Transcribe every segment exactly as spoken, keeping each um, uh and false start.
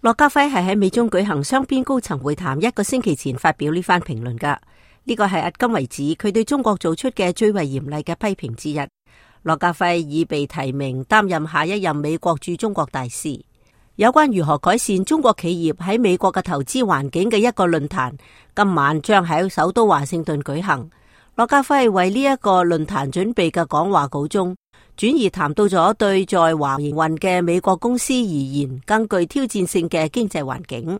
駱家輝係喺美中舉行雙邊高層會談一個星期前發表呢番評論噶，呢個係迄今為止佢對中國做出嘅最為嚴厲嘅批評之一。駱家輝已被提名擔任下一任美國駐中國大使。有關如何改善中國企業喺美國嘅投資環境嘅一個論壇，今晚將喺首都華盛頓舉行。駱家輝為呢一個論壇準備嘅講話稿中，轉而談到咗對在華營運嘅美國公司而言更具挑戰性嘅經濟環境，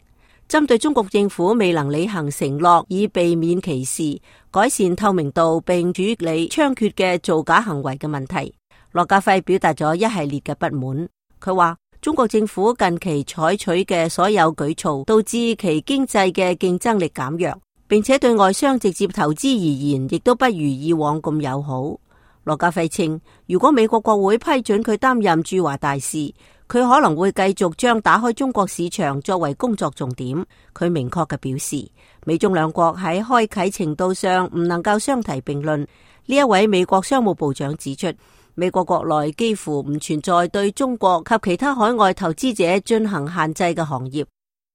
針對中國政府未能履行承諾以避免歧視、改善透明度並處理猖獗嘅造假行為嘅問題，駱家輝表達咗一系列嘅不滿。佢話中國政府近期採取嘅所有舉措導致其經濟嘅競爭力減弱，並且對外商直接投資而言亦都不如以往咁友好。駱家輝稱，如果美國國會批准佢擔任駐華大使，佢可能會繼續將打開中國市場作為工作重點。佢明確嘅表示，美中兩國喺開啟程度上唔能夠相提並論。呢一位美國商務部長指出，美國國內幾乎唔存在對中國及其他海外投資者進行限制嘅行業，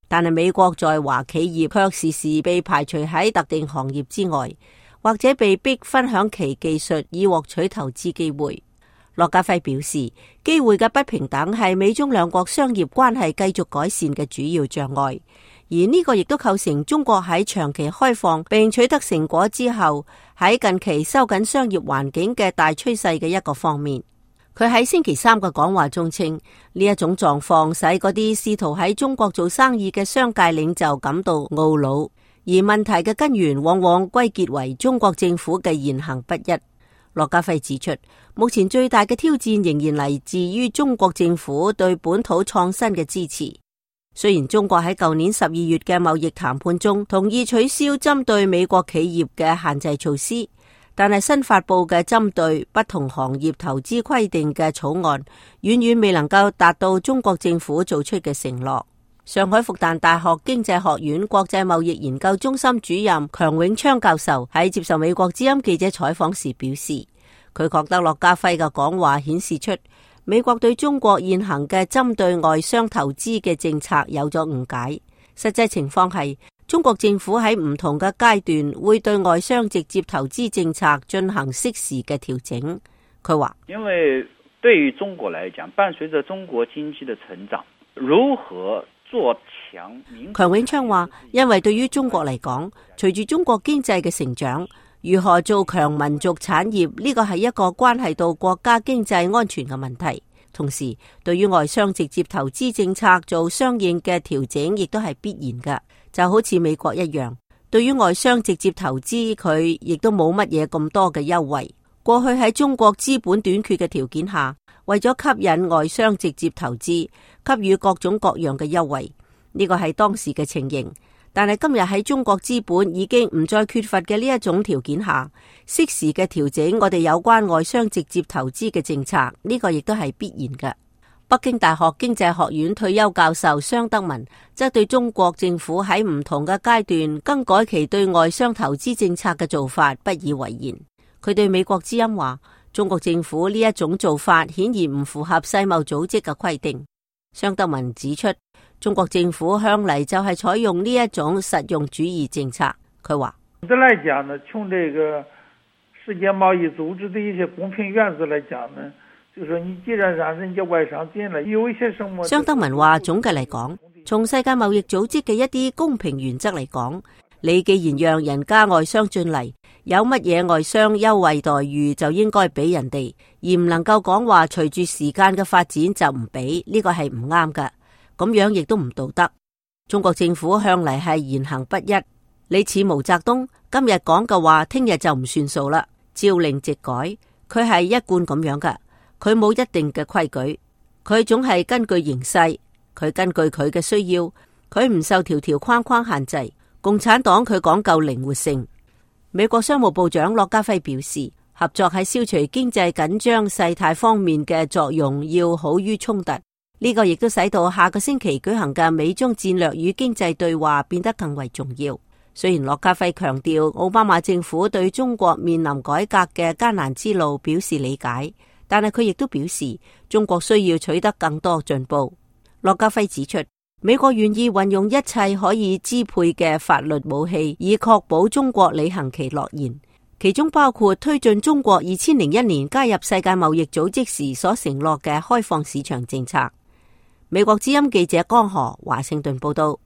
但係美國在華企業卻時時被排除喺特定行業之外，或者被逼分享其技術以獲取投資機會。駱家輝表示，機會嘅不平等係美中兩國商業關係繼續改善嘅主要障礙，而呢個亦都構成中國喺長期開放並取得成果之後，喺近期收緊商業環境嘅大趨勢嘅一個方面。佢喺星期三嘅講話中稱，呢一種狀況使嗰啲試圖喺中國做生意嘅商界領袖感到懊惱。而問題嘅根源往往歸結為中國政府嘅言行不一。駱家輝指出，目前最大嘅挑戰仍然嚟自於中國政府對本土創新嘅支持。雖然中國喺舊年十二月嘅貿易談判中同意取消針對美國企業嘅限制措施，但係新發佈嘅針對不同行業投資規定嘅草案，遠遠未能夠達到中國政府做出嘅承諾。上海復旦大學經濟學院國際貿易研究中心主任強永昌教授喺接受美國之音記者採訪時表示，佢覺得駱家輝嘅講話顯示出美國對中國現行嘅針對外商投資嘅政策有咗誤解。實際情況係，中國政府喺唔同嘅階段會對外商直接投資政策進行適時嘅調整。佢話，因為對於中國來講，伴隨着中國經濟的成長，如何做強？強永昌話，因為對於中國嚟講，隨住中國經濟嘅成長，如何做強民族產業，呢個係一個關係到國家經濟安全嘅問題。同時，對於外商直接投資政策做相應嘅調整，亦都係必然嘅。就好似美國一樣，對於外商直接投資，佢亦都冇乜嘢咁多嘅優惠。過去喺中國資本短缺嘅條件下，為咗吸引外商直接投資，給予各種各樣嘅優惠，呢個係當時嘅情形。但係今日喺中國資本已經唔再缺乏嘅呢一種條件下，適時嘅調整我哋有關外商直接投資嘅政策，呢個亦都係必然嘅。北京大學經濟學院退休教授商德文則對中國政府喺唔同嘅階段更改其對外商投資政策嘅做法不以為然。佢對美國之音話，中國政府呢一種做法顯然唔符合世貿組織嘅規定。商德文指出，中國政府向嚟就係採用呢一種實用主義政策。佢話，總的來講呢，從這個世界貿易組織的一些公平原則來講呢，就是說你既然讓人家外商進來，有一些什麼。商德文話，總嘅嚟講，從世界貿易組織嘅一啲公平原則嚟講，你既然讓人家外商進嚟，有乜嘢外商優惠待遇就應該俾人哋，而唔能夠講話隨住時間嘅發展就唔俾，呢個係唔啱㗎。咁樣亦都唔道德。中國政府向嚟係言行不一，你似毛澤東今日講嘅話，聽日就唔算數啦，朝令夕改，佢係一貫咁樣㗎。佢冇一定嘅規矩，佢總係根據形勢，佢根據佢嘅需要，佢唔受條條框框限制。共產黨佢講究靈活性。美國商務部長駱家輝表示，合作喺消除經濟緊張勢態方面嘅作用要好於衝突。呢個亦都使到下個星期舉行嘅美中戰略與經濟對話變得更為重要。雖然駱家輝強調奧巴馬政府對中國面臨改革嘅艱難之路表示理解，但係佢亦都表示中國需要取得更多進步。駱家輝指出，美國願意運用一切可以支配嘅法律武器，以確保中國履行其諾言，其中包括推進中國二千零一年加入世界貿易組織時所承諾嘅開放市場政策。美國之音記者江河華盛頓報道。